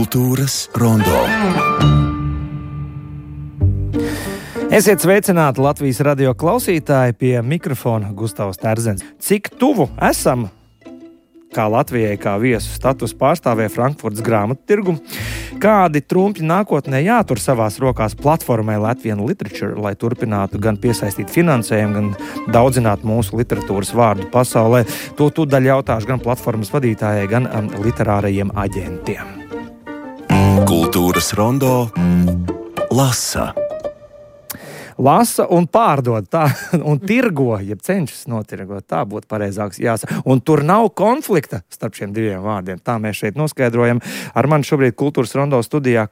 Kultūras rondo. Esiet sveicināti Latvijas radio klausītāji, pie mikrofona Gustavs Terzens. Cik tuvu esam, kā Latvijai, kā viesu status pārstāvē Frankfurtas grāmattirgu, kādi trumpi nākotnē jātur savās rokās platformai Latvian Literature, lai turpinātu gan piesaistīt finansējumu, gan daudzināt mūsu literatūras vārdu pasaulē. To tūdaļ jautāšu gan platformas vadītājai, gan literārajiem aģentiem. Kultūras rondo lasa. Lasa un pārdod, tā, un tirgo, ja cenšas notirgot, tā būtu pareizāks jāsaka. Un tur nav konflikta starp šiem diviem vārdiem. Tā mēs šeit noskaidrojam. Ar mani šobrīd Kultūras rondo studijā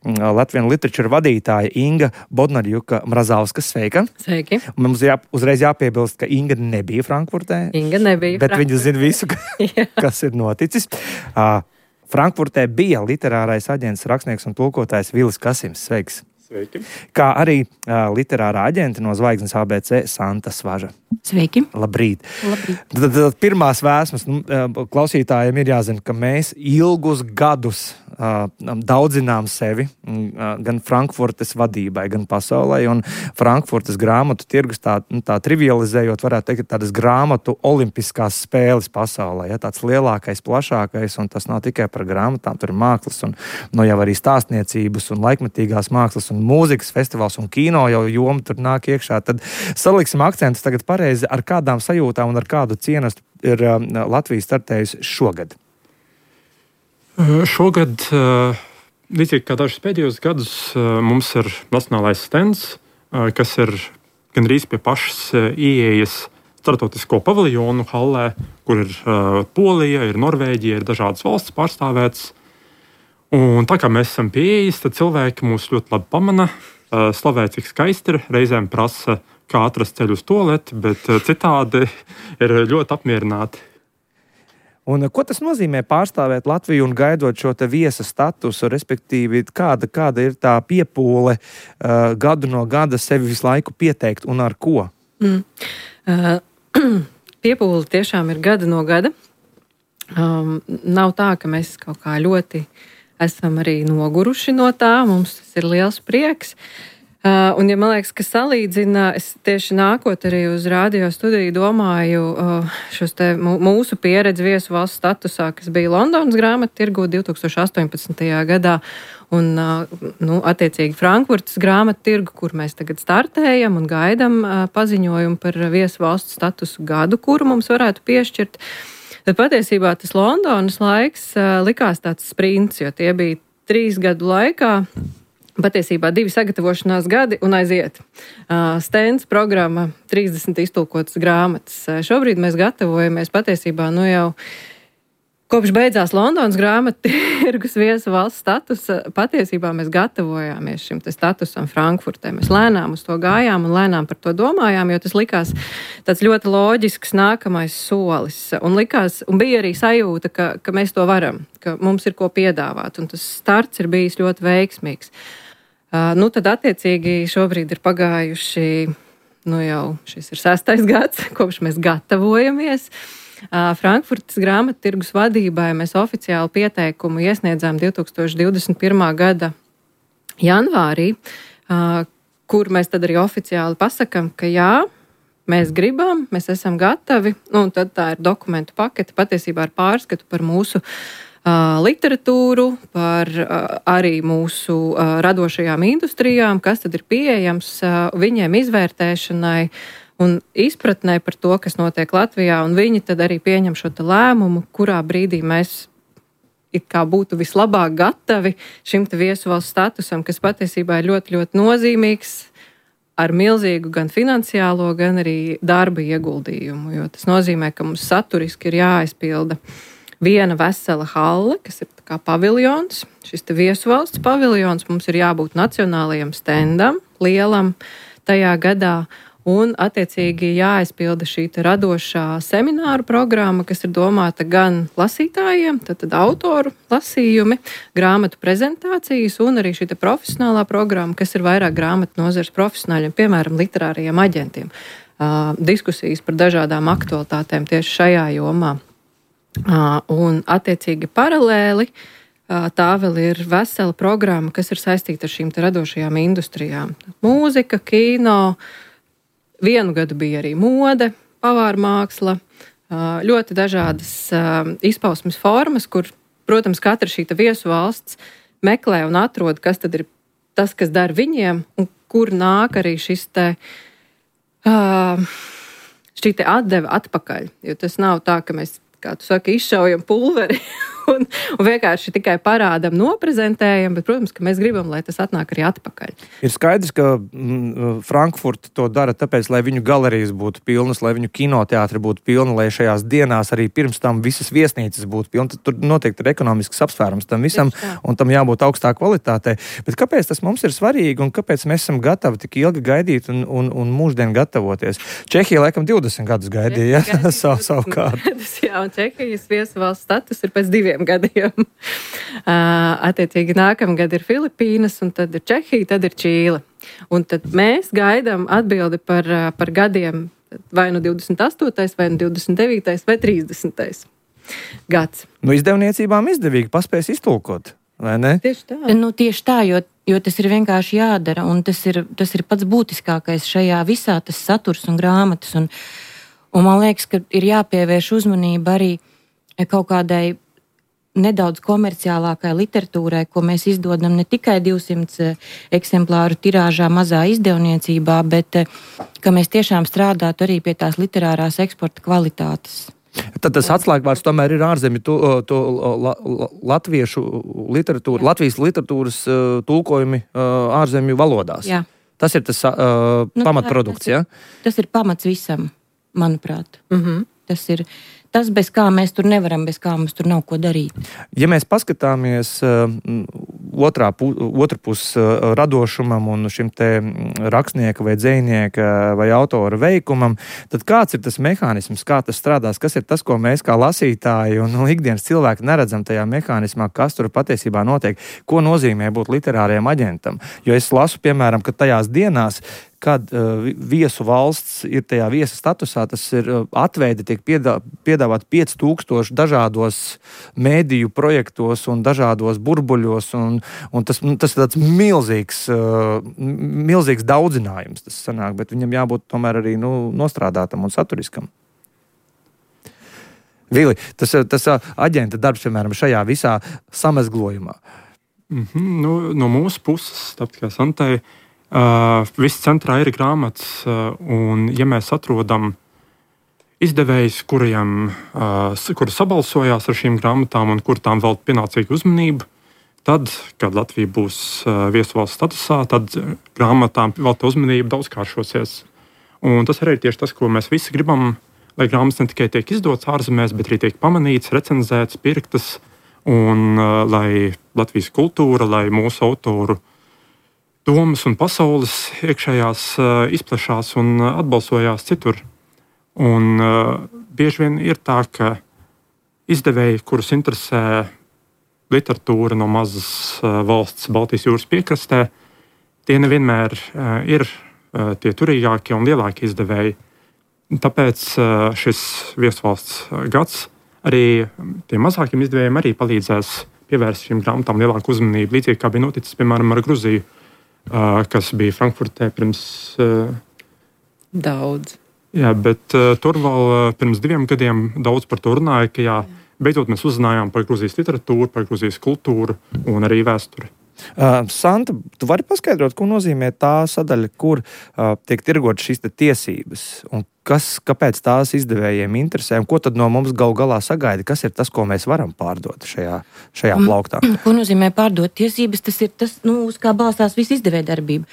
Latvian Literature vadītāja Inga Bodnarjuka-Mrazauska. Sveika! Sveiki! Mums uzreiz jāpiebilst, ka Inga nebija Frankfurtē. Inga nebija. Bet viņa zina visu, kas ir noticis. Frankfurtē bija literārais aģents, rakstnieks un tulkotājs Vilis Kasims. Sveiks! Sveiki. Kā arī literārā aģente no Zvaigznes ABC Santa Svaža. Sveiki. Labrīt. Labrīt. Tad pirmās vēsmas klausītājiem ir jāzina, ka mēs ilgus gadus daudzinām sevi gan Frankfurtes vadībai, gan pasaulē, un Frankfurtes grāmatu tirgus tā trivializējot, varētu teikt, tādas grāmatu olimpiskās spēles pasaulē, ja, tāds lielākais, plašākais, un tas nav tikai par grāmatām, tur ir mākslas, un jau arī stāstniecības, un laikmetīgās mākslas, un mūzikas festivāls, un kino jau joma tur nāk iekšā. Tad saliksim akcentus tagad pareizi, ar kādām sajūtām un ar kādu cienestu ir Latvija startējusi šogad. Šogad, līdzīgi kā dažus pēdējos gadus, mums ir nacionālais stends, kas ir gandrīz pie pašas ieejas starptautisko paviljonu hallē, kur ir Polija, ir Norvēģija, ir dažādas valsts pārstāvētas. Un tā kā mēs esam pie ieejas, tad cilvēki mūs ļoti labi pamana, slavē, cik skaisti ir, reizēm prasa, kā atrast ceļu uz tualeti, bet citādi ir ļoti apmierināti. Un ko tas nozīmē pārstāvēt Latviju un gaidot šo te viesa statusu, respektīvi, kāda ir tā piepūle gadu no gada sevi visu laiku pieteikt un ar ko? Piepūle tiešām ir gada no gada. Nav tā, ka mēs kaut kā ļoti esam arī noguruši no tā, mums tas ir liels prieks. Un, ja man liekas, ka salīdzina, es tieši nākot arī uz radio studiju domāju šos te mūsu pieredzi viesu valsts statusā, kas bija Londonas grāmattirgu 2018. gadā, un, attiecīgi Frankfurtas grāmattirgu, kur mēs tagad startējam un gaidam paziņojumu par viesu valsts statusu gadu, kuru mums varētu piešķirt. Tad patiesībā tas Londonas laiks likās tāds sprints, jo tie bija 3 gadu laikā. Patiesībā 2 sagatavošanās gadi un aiziet. Stends programma, 30 iztulkotas grāmatas. Šobrīd mēs gatavojamies patiesībā jau kopš beidzās Londonas grāmattirgus viesu valsts statusa. Patiesībā mēs gatavojāmies šim te statusam Frankfurtē. Mēs lēnām uz to gājām un lēnām par to domājām, jo tas likās tāds ļoti loģisks nākamais solis. Un bija arī sajūta, ka mēs to varam, ka mums ir ko piedāvāt, un tas starts ir bijis ļoti veiksmīgs. Tad attiecīgi šobrīd ir pagājuši, jau šis ir 6. gads, kopš mēs gatavojamies. Frankfurtas grāmattirgus vadībai mēs oficiāli pieteikumu iesniedzām 2021. gada janvārī, kur mēs tad arī oficiāli pasakam, ka jā, mēs gribam, mēs esam gatavi, un tad tā ir dokumentu pakete patiesībā ar pārskatu par mūsu literatūru, par arī mūsu radošajām industrijām, kas tad ir pieejams viņiem izvērtēšanai un izpratnē par to, kas notiek Latvijā, un viņi tad arī pieņem šo te lēmumu, kurā brīdī mēs it kā būtu vislabāk gatavi šim te viesu valsts statusam, kas patiesībā ir ļoti, ļoti nozīmīgs, ar milzīgu gan finansiālo, gan arī darba ieguldījumu, jo tas nozīmē, ka mums saturiski ir jāaizpilda viena vesela halle, kas ir kā paviljons, šis te viesu valsts paviljons, mums ir jābūt nacionālajam stendam, lielam tajā gadā, un attiecīgi jāaizpilda šī te radošā semināru programma, kas ir domāta gan lasītājiem, tad autoru lasījumi, grāmatu prezentācijas un arī šī te profesionālā programma, kas ir vairāk grāmatu nozares profesionāļiem, piemēram, literārajiem aģentiem. Diskusijas par dažādām aktualitātēm tieši šajā jomā. Un attiecīgi paralēli tā vēl ir vesela programma, kas ir saistīta ar šīm te radošajām industrijām. Mūzika, kino, vienu gadu bija arī mode, pavāra māksla, ļoti dažādas izpausmes formas, kur, protams, katra šī viesu valsts meklē un atrod, kas tad ir tas, kas dara viņiem, un kur nāk arī šī atdeve atpakaļ. Jo tas nav tā, ka mēs, kā tu saki, izšaujam pulveri un vienkārši tikai parādam, noprezentējam, bet, protams, ka mēs gribam, lai tas atnāk arī atpakaļ. Ir skaidrs, ka Frankfurta to dara tāpēc, lai viņu galerijas būtu pilnas, lai viņu kinoteātri būtu pilni, lai šajās dienās arī pirms tam visas viesnīcas būtu pilnas. Tur noteikti ir ekonomisks apsvērums tam visam, un tam jābūt augstā kvalitātei. Bet kāpēc tas mums ir svarīgi un kāpēc mēs esam gatavi tik ilgi gaidīt un mūždien gatavoties? Čehija laikam 20 gadus gaidīja, savukārt. Jā, un Čehijas viesuvalsts status ir pēc 2 gadiem. Attiecīgi nākamgad ir Filipīnas, un tad ir Čehija, tad ir Čīle. Un tad mēs gaidām atbildi par gadiem vai nu 28., vai nu 29., vai 30. gads. Nu, izdevniecībām izdevīgi paspēs iztulkot, vai ne? Tieši tā. Tieši tā, jo tas ir vienkārši jādara, un tas ir pats būtiskākais šajā visā, tas saturs un grāmatas. Un man liekas, ka ir jāpievērš uzmanība arī kaut kādai nedaudz komerciālākai literatūrai, ko mēs izdodam ne tikai 200 eksemplāru tirāžā mazā izdevniecībā, bet ka mēs tiešām strādātu arī pie tās literārās eksporta kvalitātes. Tad tas atslēgvārds tomēr ir ārzemju latviešu literatūra, Latvijas literatūras tulkojumi ārzemju valodās. Jā. Tas ir tas pamatprodukts, jā? Tas ir pamats visam, manuprāt. Mhm. Tas ir tas, bez kā mēs tur nevaram, bez kā mums tur nav ko darīt. Ja mēs paskatāmies otru pusi radošumam un šim te rakstnieka vai dzejnieka vai autora veikumam, tad kāds ir tas mehānisms, kā tas strādās, kas ir tas, ko mēs kā lasītāji un ikdienas cilvēki neredzam tajā mehānismā, kas tur patiesībā notiek, ko nozīmē būt literāriem aģentam. Jo es lasu, piemēram, ka tajās dienās, kad viesu valsts ir tajā viesa statusā, tas ir atveidi tiek piedāvāt 5000 dažādos mēdīju projektos un dažādos burbuļos, un tas ir tāds milzīgs daudzinājums, tas sanāk, bet viņam jābūt tomēr arī nostrādātam un saturiskam. Vili, tas aģenta darbs, piemēram, šajā visā samezglojumā. No mūsu puses, tāpēc kā Santai, viss centrā ir grāmatas, un ja mēs atrodam izdevējus, kuri sabalsojās ar šīm grāmatām un kur tām velta pienācīgu uzmanību, tad, kad Latvija būs viesuvalsts statusā, tad grāmatām velta uzmanība daudzkāršosies. Un tas arī ir tieši tas, ko mēs visi gribam, lai grāmatas ne tikai tiek izdotas ārzemēs, bet arī tiek pamanītas, recenzētas, pirktas, un lai Latvijas kultūra, lai mūsu autoru domas un pasaules iekšējās izplešās un atbalsojās citur. Un bieži vien ir tā, ka izdevēji, kurus interesē literatūra no mazas valsts Baltijas jūras piekrastē, tie nevienmēr ir tie turīgākie un lielākie izdevēji. Tāpēc šis viesuvalsts gads arī tiem mazākiem izdevējiem arī palīdzēs pievērst šīm grāmatām lielāku uzmanību, līdzīgi kā bija noticis, piemēram, ar Gruziju, kas bija Frankfurtē pirms daudz. Jā, bet tur vēl pirms 2 gadiem daudz par to runāja, ka beidzot mēs uzzinājām par Gruzijas literatūru, par Gruzijas kultūru un arī vēsturi. Santa, tu vari paskaidrot, ko nozīmē tā sadaļa, kur tiek tirgot šīs tiesības, un kāpēc tās izdevējiem interesē, un ko tad no mums galu galā sagaida, kas ir tas, ko mēs varam pārdot šajā plauktā? Ko nozīmē pārdot tiesības? Tas ir tas, uz kā balstās visa izdevēja darbība.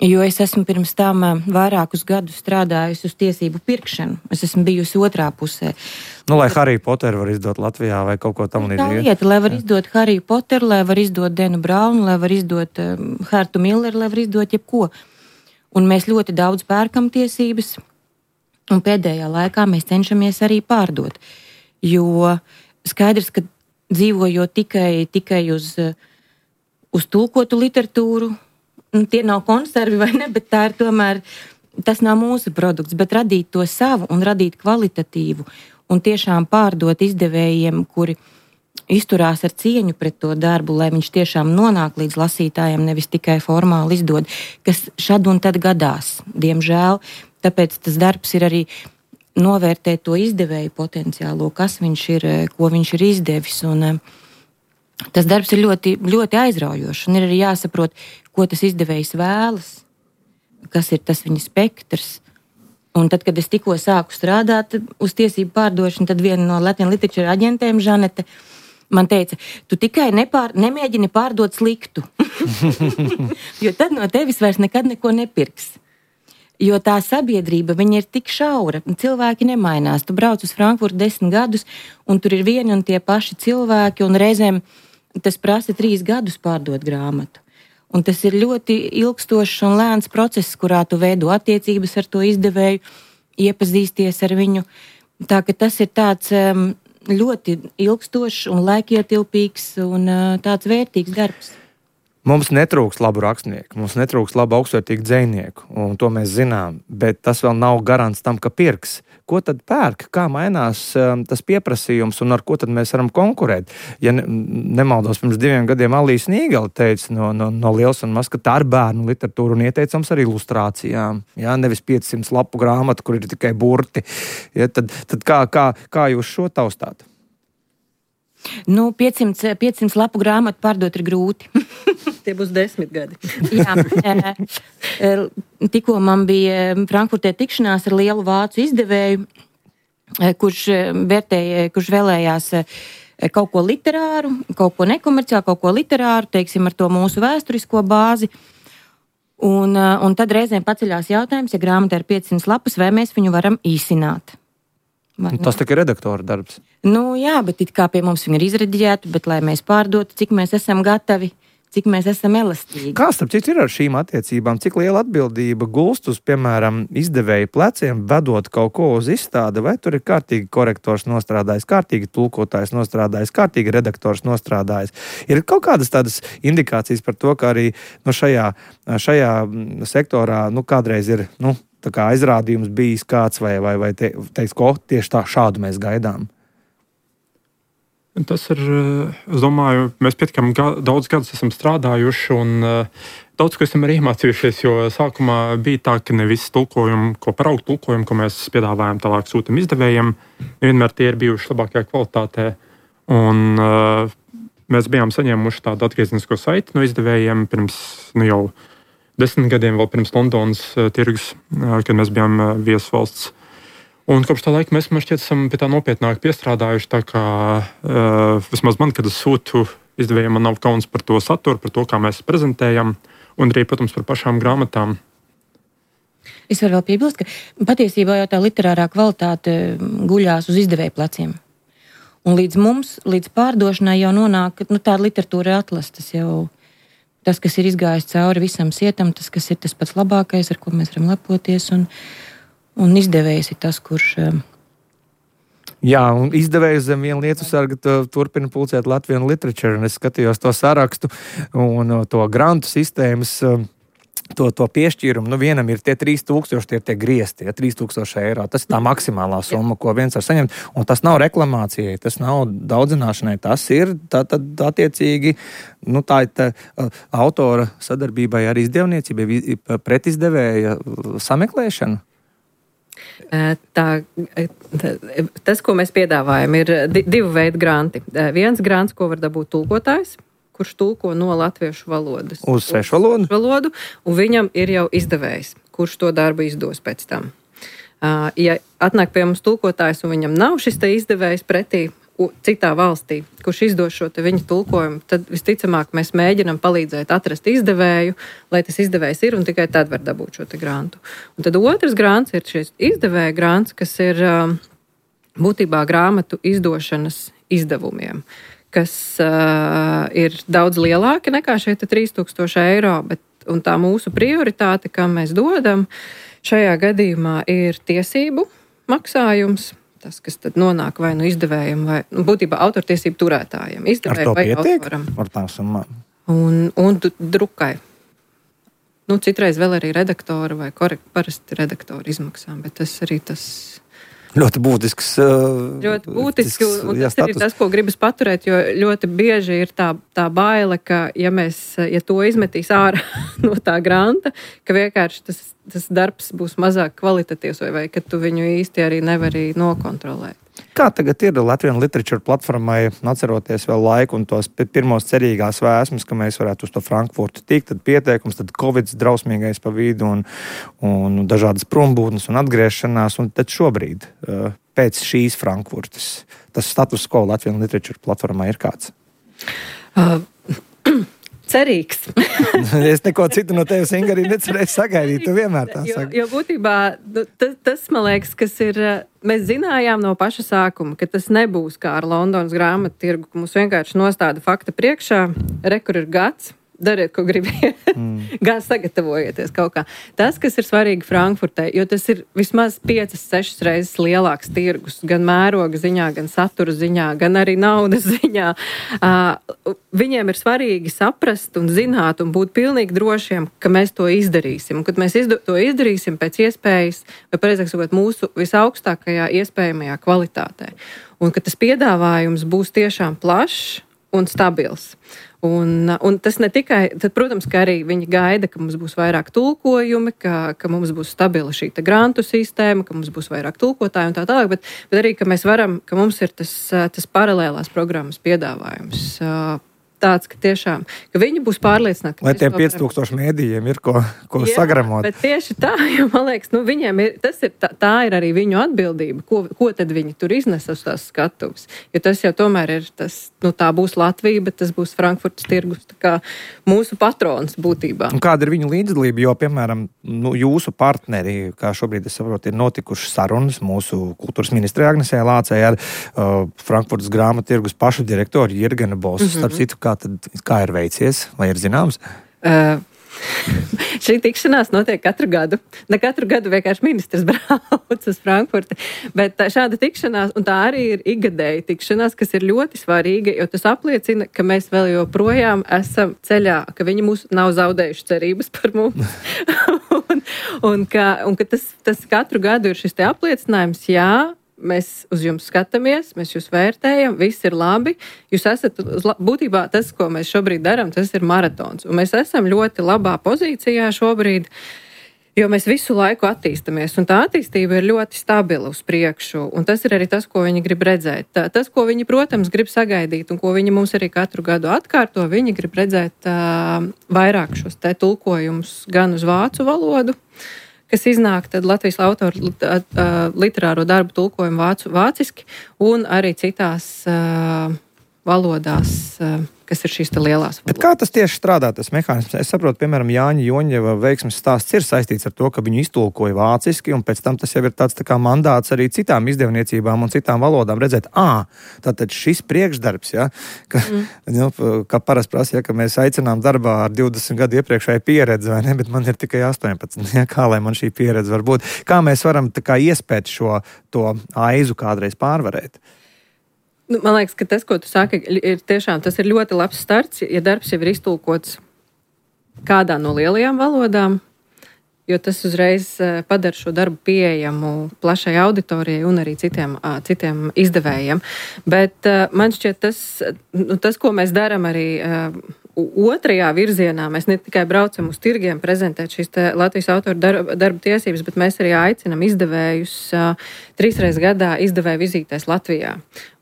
Jo es esmu pirms tam vairākus gadus strādājusi uz tiesību pirkšanu. Es esmu bijusi otrā pusē. Lai Harry Potteru var izdot Latvijā vai kaut ko tam līdzīgu. Tā lieta, lai var izdot Harry Potteru, lai var izdot Denu Braunu, lai var izdot Hertu Milleru, lai var izdot jebko. Un mēs ļoti daudz pērkam tiesības, un pēdējā laikā mēs cenšamies arī pārdot. Jo skaidrs, ka dzīvojot tikai uz tulkotu literatūru, tie nav konservi vai ne, bet tā ir tomēr, tas nav mūsu produkts, bet radīt to savu un radīt kvalitatīvu un tiešām pārdot izdevējiem, kuri izturās ar cieņu pret to darbu, lai viņš tiešām nonāk līdz lasītājiem, nevis tikai formāli izdod, kas šad un tad gadās, diemžēl. Tāpēc tas darbs ir arī novērtēt to izdevēju potenciālo, kas viņš ir, ko viņš ir izdevis. Un tas darbs ir ļoti, ļoti aizraujošs. Un ir arī jāsaprot, ko tas izdevējs vēlas, kas ir tas viņa spektrs. Un tad, kad es tikko sāku strādāt uz tiesību pārdošanu, tad viena no Latvijas literatūras aģentēm, Žanete, man teica, tu tikai nemēģini pārdot sliktu, jo tad no tevis vairs nekad neko nepirks. Jo tā sabiedrība, viņa ir tik šaura, cilvēki nemainās. Tu brauc uz Frankfurtu 10 gadus, un tur ir vieni un tie paši cilvēki, un reizēm tas prasa 3 gadus pārdot grāmatu. Un tas ir ļoti ilgstošs un lēns process, kurā tu veido attiecības ar to izdevēju, iepazīsties ar viņu. Tā ka tas ir tāds ļoti ilgstošs un laikietilpīgs un tāds vērtīgs darbs. Mums netrūks labu rakstnieku, mums netrūks labu augstvērtīgu dzejnieku, un to mēs zinām, bet tas vēl nav garants tam, ka pirks. Ko tad pērk, kā mainās tas pieprasījums un ar ko tad mēs varam konkurēt? Ja nemaldos, pirms 2 gadiem Alīs Nīgala teica no Liels un Maz, ka tā ir bērnu literatūra un ieteicams ar ilustrācijām. Ja? Nevis 500 lapu grāmatu, kur ir tikai burti. Ja? Tad kā jūs šo taustāt? 500 lapu grāmatu pārdot ir grūti. Tie būs 10 gadi. Jā, tikko man bija Frankfurtē tikšanās ar lielu vācu izdevēju, kurš vēlējās kaut ko literāru, kaut ko nekomerciālu, kaut ko literāru, teiksim, ar to mūsu vēsturisko bāzi. Un tad reizēm paceļās jautājums, ja grāmata ir 500 lapas, vai mēs viņu varam īsināt. Tas tikai redaktora darbs. Jā, bet it kā pie mums viņi ir izrediģēti, bet lai mēs pārdotu, cik mēs esam gatavi, cik mēs esam elastīgi. Kā starp citu ir ar šīm attiecībām? Cik liela atbildība gulst uz, piemēram, izdevēju pleciem, vedot kaut ko uz izstādi, vai tur ir kārtīgi korektors nostrādājis, kārtīgi tulkotājs nostrādājis, kārtīgi redaktors nostrādājis? Ir kaut kādas tādas indikācijas par to, ka arī šajā sektorā kādreiz ir, tā kā aizrādījums bijis kāds vai teiks, ko tieši šādu mēs gaidām? Tas ir, es domāju, mēs pietiekami daudz gadus esam strādājuši un daudz ko esam arī iemācījušies, jo sākumā bija tā, ka ne visi tulkojumi, paraugu tulkojumi, ko mēs piedāvājam, tālāk sūtam izdevējiem, vienmēr tie ir bijuši labākajā kvalitātē. Un mēs bijām saņēmuši tādu atgriezenisko saiti no izdevējiem pirms jau 10 gadiem, vēl pirms Londonas tirgus, kad mēs bijām viesvalsts. Un kopš tā laika mēs, man šķiet, esam pie tā nopietnāk piestrādājuši, tā kā vismaz man, kad es sūtu izdevējiem, man nav kauns par to saturu, par to, kā mēs prezentējam, un arī, protams, par pašām grāmatām. Es varu vēl piebilst, ka patiesībā jau tā literārā kvalitāte guļās uz izdevēju pleciem. Un līdz pārdošanai jau nonāk, tāda literatūra atlastas jau. Tas, kas ir izgājis cauri visam sietam, tas, kas ir tas pats labākais, ar ko mēs varam lepoties, un izdevējs ir tas, kurš... Jā, un izdevējs zem vienu lietu sarga turpina pulcēt Latvijas literatūru, un es skatījos to sarakstu un to grantu sistēmas, to piešķīrumu. Vienam ir tie 3000, tie ir tie griezti, 3000 eiro. Tas ir tā maksimālā summa, ko viens var saņemt, un tas nav reklamācijai, tas nav daudzināšanai, tas ir tad attiecīgi, tā ir autora sadarbībai ar izdevniecībai, pretizdevēja sameklēšana. Tas, ko mēs piedāvājam, ir 2 veidu granti. Viens grants, ko var dabūt tulkotājs, kurš tulko no latviešu valodas uz svešu valodu, un viņam ir jau izdevējs, kurš to darbu izdos pēc tam. Ja atnāk pie mums tulkotājs un viņam nav šis te izdevējs pretī citā valstī, kurš izdos šo te viņa tulkojumu, tad visticamāk mēs mēģinam palīdzēt atrast izdevēju, lai tas izdevējs ir, un tikai tad var dabūt šo te grantu. Un tad otrs grants ir šis izdevēja grants, kas ir būtībā grāmatu izdošanas izdevumiem, kas ir daudz lielāki nekā šie 3000 eiro, un tā mūsu prioritāte, kam mēs dodam, šajā gadījumā ir tiesību maksājums, tas, kas tad nonāk vai izdevējiem, vai būtībā autortiesību turētājiem, izdevēju vai autoram. Ar tām summām. Un drukai. Citreiz vēl arī redaktora vai parasti redaktora izmaksām, bet tas arī tas... Ļoti būtisks. Ļoti būtiski, un tas ir tas, ko gribas paturēt, jo ļoti bieži ir tā baile, ka ja to izmetīs ārā no tā granta, ka vienkārši tas darbs būs mazāk kvalitatīvs vai ka tu viņu īsti arī nevari nokontrolēt. Kā tagad ir Latvijas literatūra platformai, atceroties vēl laiku un tos pirmos cerīgās vēsmas, ka mēs varētu uz to Frankfurtu tikt, tad pieteikums, tad Covid drausmīgais pa vidu un dažādas prombūtnes un atgriešanās, un tad šobrīd, pēc šīs Frankfurtas, tas status quo Latvijas literatūra platformai ir kāds? Cerīgs. Es neko citu no tevis, Inga, arī necerēju sagaidīt. Tu vienmēr tā saki. Jo būtībā tas, man liekas, kas ir, mēs zinājām no paša sākuma, ka tas nebūs kā ar Londonas grāmatu tirgu, ka mums vienkārši nostāda fakta priekšā, kur ir gads, dariet, ko gribiet, sagatavojieties kaut kā. Tas, kas ir svarīgi Frankfurtē, jo tas ir vismaz 5-6 reizes lielāks tirgus, gan mēroga ziņā, gan satura ziņā, gan arī naudas ziņā. Viņiem ir svarīgi saprast un zināt un būt pilnīgi drošiem, ka mēs to izdarīsim. Un, kad mēs to izdarīsim pēc iespējas, vai pareizāk sakot, mūsu visaugstākajā iespējamajā kvalitātē. Un ka tas piedāvājums būs tiešām plašs un stabils. Un tas ne tikai, tad, protams, ka arī viņi gaida, ka mums būs vairāk tulkojumi, ka mums būs stabila šī grantu sistēma, ka mums būs vairāk tulkotāju un tā tālāk, bet arī, ka mēs varam, ka mums ir tas paralēlās programmas piedāvājums. Tāds, ka tiešām, ka viņi būs pārliecināti. Lai tiem 5000 mēdījiem ir ko sagramot. Bet tieši tā, jo man liekas, viņiem tā ir arī viņu atbildība, ko tad viņi tur iznes uz tās skatuves. Jo tas jau tomēr ir tā būs Latvija, bet tas būs Frankfurtas tirgus, tā kā mūsu patrons būtībā. Un kāda ir viņu līdzdalība, jo, piemēram, jūsu partneri, kā šobrīd es saprotu, ir notikušas sarunas mūsu kultūras ministrē Agnesē Lācei ar Frankfurtas grāmatu tirgus pašu direktoru Jirgenu Bosu, starp citu, kā ir veicies, vai ir zināms? Šī tikšanās notiek katru gadu. Ne katru gadu vienkārši ministrs brauc uz Frankfurti, bet šāda tikšanās, un tā arī ir ikgadēja tikšanās, kas ir ļoti svarīga, jo tas apliecina, ka mēs vēl joprojām esam ceļā, ka viņi mūs nav zaudējuši cerības par mums. un ka tas katru gadu ir šis te apliecinājums, jā, mēs uz jums skatāmies, mēs jūs vērtējam, viss ir labi. Jūs esat, būtībā tas, ko mēs šobrīd darām, tas ir maratons. Un mēs esam ļoti labā pozīcijā šobrīd, jo mēs visu laiku attīstamies. Un tā attīstība ir ļoti stabila uz priekšu. Un tas ir arī tas, ko viņi grib redzēt. Tas, ko viņi, protams, grib sagaidīt un ko viņi mums arī katru gadu atkārto, viņi grib redzēt vairāk šos te tulkojumus gan uz vācu valodu, kas iznāk tad Latvijas autoru literāro darbu tulkojumu vāciski un arī citās valodās, kas ir šīs lielās valodas. Bet kā tas tieši strādā, tas mehānisms? Es saprotu, piemēram, Jāņa Joņeva veiksmes stāsts ir saistīts ar to, ka viņu iztulkoja vāciski, un pēc tam tas jau ir tāds tā kā mandāts arī citām izdevniecībām un citām valodām redzēt, tātad šis priekšdarbs, ja, kā parasti prasa, ja, ka mēs aicinām darbā ar 20 gadu iepriekšēju pieredzi, vai ne, bet man ir tikai 18, ja, kā lai man šī pieredze var būt? Kā mēs varam tā kā iespēt to aizu kādreiz pārvarēt? Man liekas, ka tas, ko tu saki, ir tiešām tas ir ļoti labs starts, ja darbs jau ir iztulkots kādā no lielajām valodām, jo tas uzreiz padara šo darbu pieejamu plašai auditorijai un arī citiem izdevējiem. Bet man šķiet tas, ko mēs darām arī otrajā virzienā, mēs ne tikai braucam uz tirgiem prezentēt šīs Latvijas autoru darba tiesības, bet mēs arī aicinam izdevējus 3 reizes gadā izdevēju vizītēs Latvijā.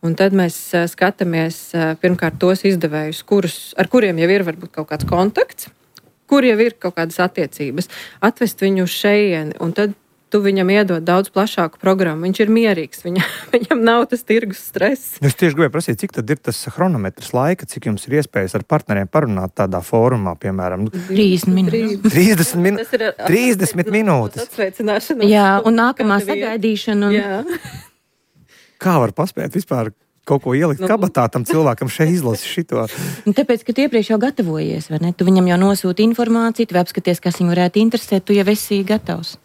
Un tad mēs skatāmies pirmkārt tos izdevējus, ar kuriem jau ir varbūt kaut kāds kontakts, kur jau ir kaut kādas attiecības, atvest viņu uz šejieni, un tad tu viņam iedod daudz plašāku programmu. Viņš ir mierīgs, viņam nav tas tirgus stress. Es tieši gribēju prasīt, cik tad ir tas chronometrs laika, cik jums ir iespējas ar partneriem parunāt tādā fórumā, piemēram? 30 minūtes. 30 minūtes. Atsveicināšana. Jā, un nākamā sagaidīšana. Jā. Kā var paspēt vispār kaut ko ielikt kabatā tam cilvēkam šeit izlasi šito? Tāpēc, ka tu iepriekš jau gatavojies, vai ne? Tu viņam jau nosūti informāciju, tu apskaties, kas viņu varētu interesēt, tu jau esi gatavs.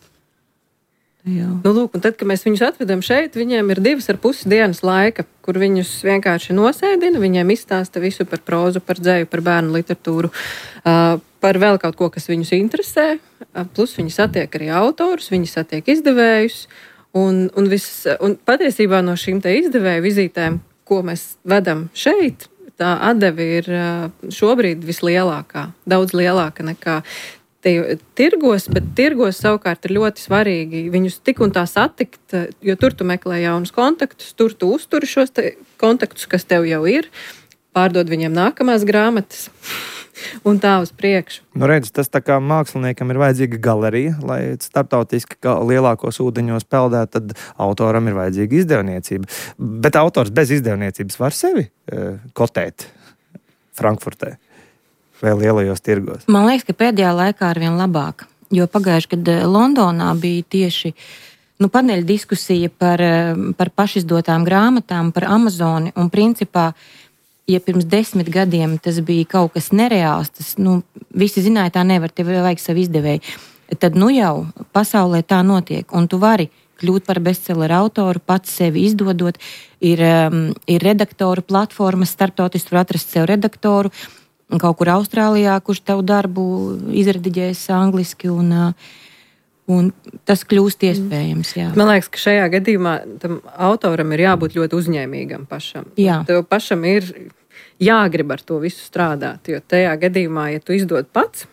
Jā. Lūk, un tad, kad mēs viņus atvedam šeit, viņiem ir 2,5 dienas laika, kur viņus vienkārši nosēdina, viņiem izstāsta visu par prózu, par dzēju, par bērnu literatūru, par vēl kaut ko, kas viņus interesē, plus viņi satiek arī autorus, viņi satiek izdevējus, Un patiesībā no šīm te izdevēju vizītēm, ko mēs vedam šeit, tā atdeve ir šobrīd vislielākā, daudz lielāka nekā tirgos, bet tirgos savukārt ir ļoti svarīgi viņus tik un tā satikt, jo tur tu meklē jaunus kontaktus, tur tu uzturi šos kontaktus, kas tev jau ir, pārdod viņiem nākamās grāmatas un tā uz priekšu. Nu, redz, tas tā kā māksliniekam ir vajadzīga galerija, lai starptautiski lielākos ūdeņos peldētu, tad autoram ir vajadzīga izdevniecība. Bet autors bez izdevniecības var sevi kotēt Frankfurtē vai lielajos tirgos? Man liekas, ka pēdējā laikā arvien labāk, jo pagājuši, kad Londonā bija tieši paneļa diskusija par pašizdotām grāmatām, par Amazoni, un principā, ja pirms 10 gadiem tas bija kaut kas nereāls, tas, visi zināja, tā nevar, tev vajag savu izdevēju, tad jau pasaulē tā notiek, un tu vari kļūt par bestselleru autoru, pats sevi izdodot, ir redaktoru platformas, starptautiski tur atrast sev redaktoru, kaut kur Austrālijā, kurš tavu darbu izrediģēs angliski, un tas kļūst iespējams. Jā. Man liekas, ka šajā gadījumā tam autoram ir jābūt ļoti uzņēmīgam pašam. Jā. Tev pašam ir jāgrib ar to visu strādāt, jo tajā gadījumā, ja tu izdod pats,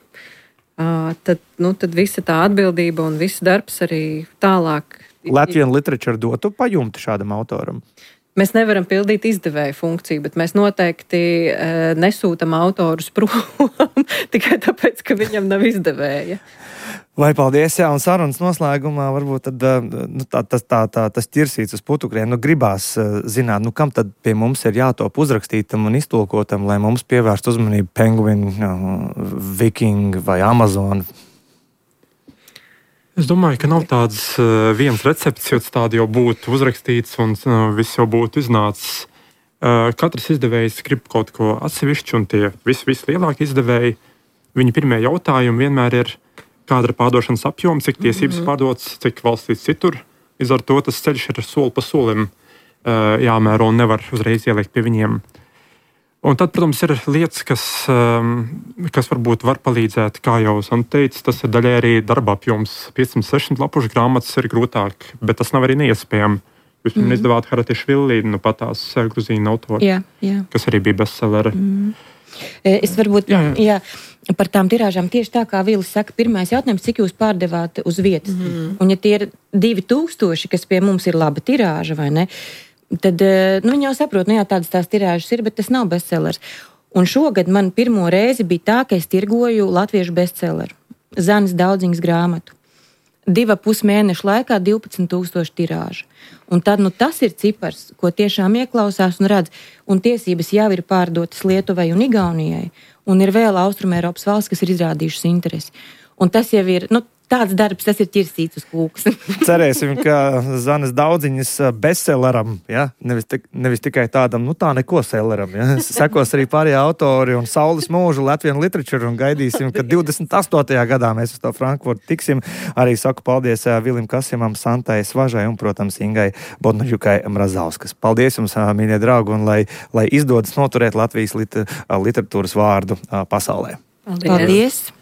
tad visa tā atbildība un viss darbs arī tālāk. Latvian Literature dotu pajumti šādam autoram? Mēs nevaram pildīt izdevēju funkciju, bet mēs noteikti nesūtam autorus prom tikai tāpēc, ka viņam nav izdevēja. Vai paldies, jā, un sarunas noslēgumā varbūt tad, tas ķirsīts uz putukriem, gribās zināt, kam tad pie mums ir jātop uzrakstītam un iztulkotam, lai mums pievērst uzmanību Penguin, Viking vai Amazon. Es domāju, ka nav tāds viens recepts, jo tādi jau būtu uzrakstīts un viss jau būtu iznācis. Katrs izdevējs grib kaut ko atsevišķu, un tie vislielākie izdevēji, viņa pirmie jautājumi vienmēr ir, kāda ir pārdošanas apjoms, cik tiesības pārdotas, cik valstīs citur. Līdz ar to tas ceļš ir soli pa solim jāmēro un nevar uzreiz ielikt pie viņiem. Un tad, protams, ir lietas, kas varbūt var palīdzēt, kā jau Santa teica, tas ir daļai arī darba apjoms. 560 lapušu grāmatas ir grūtāk, bet tas nav arī neiespējami. Jūs man izdevāt Haratišvili, patās gruzīnu autori, kas arī bija bestselleri. Es varbūt, jā, par tām tirāžām tieši tā, kā Vilis saka, pirmais jautājums, cik jūs pārdevāt uz vietas. Un ja tie ir 2000, kas pie mums ir laba tirāža, vai ne? Tad viņi jau saprot, tādas tās tirāžas ir, bet tas nav bestsellers. Un šogad man pirmo reizi bija tā, ka es tirgoju latviešu bestselleru. Zanes Daudziņas grāmatu. 2,5 mēnešu laikā 12,000 tirāža. Un tad tas ir cipars, ko tiešām ieklausās un redz. Un tiesības jau ir pārdotas Lietuvai un Igaunijai. Un ir vēl Austrumēropas valsts, kas ir izrādījušas interesi. Un tas jau ir... Tāds darbs, tas ir ķirsīts uz kūkas. Cerēsim, ka Zanes Daudziņas bestselleram, nevis tikai tādam, tā neko selleram. Sekos arī pārējie autori un Saules mūžu Latvian Literature un gaidīsim, ka 28. gadā mēs uz to Frankfurtu tiksim. Arī saku paldies Vilim Kasimam, Santai Svažai un, protams, Ingai Bodnaļukai Mrazauskas. Paldies jums, mīļie draugi, un lai izdodas noturēt Latvijas literatūras vārdu pasaulē. Paldies!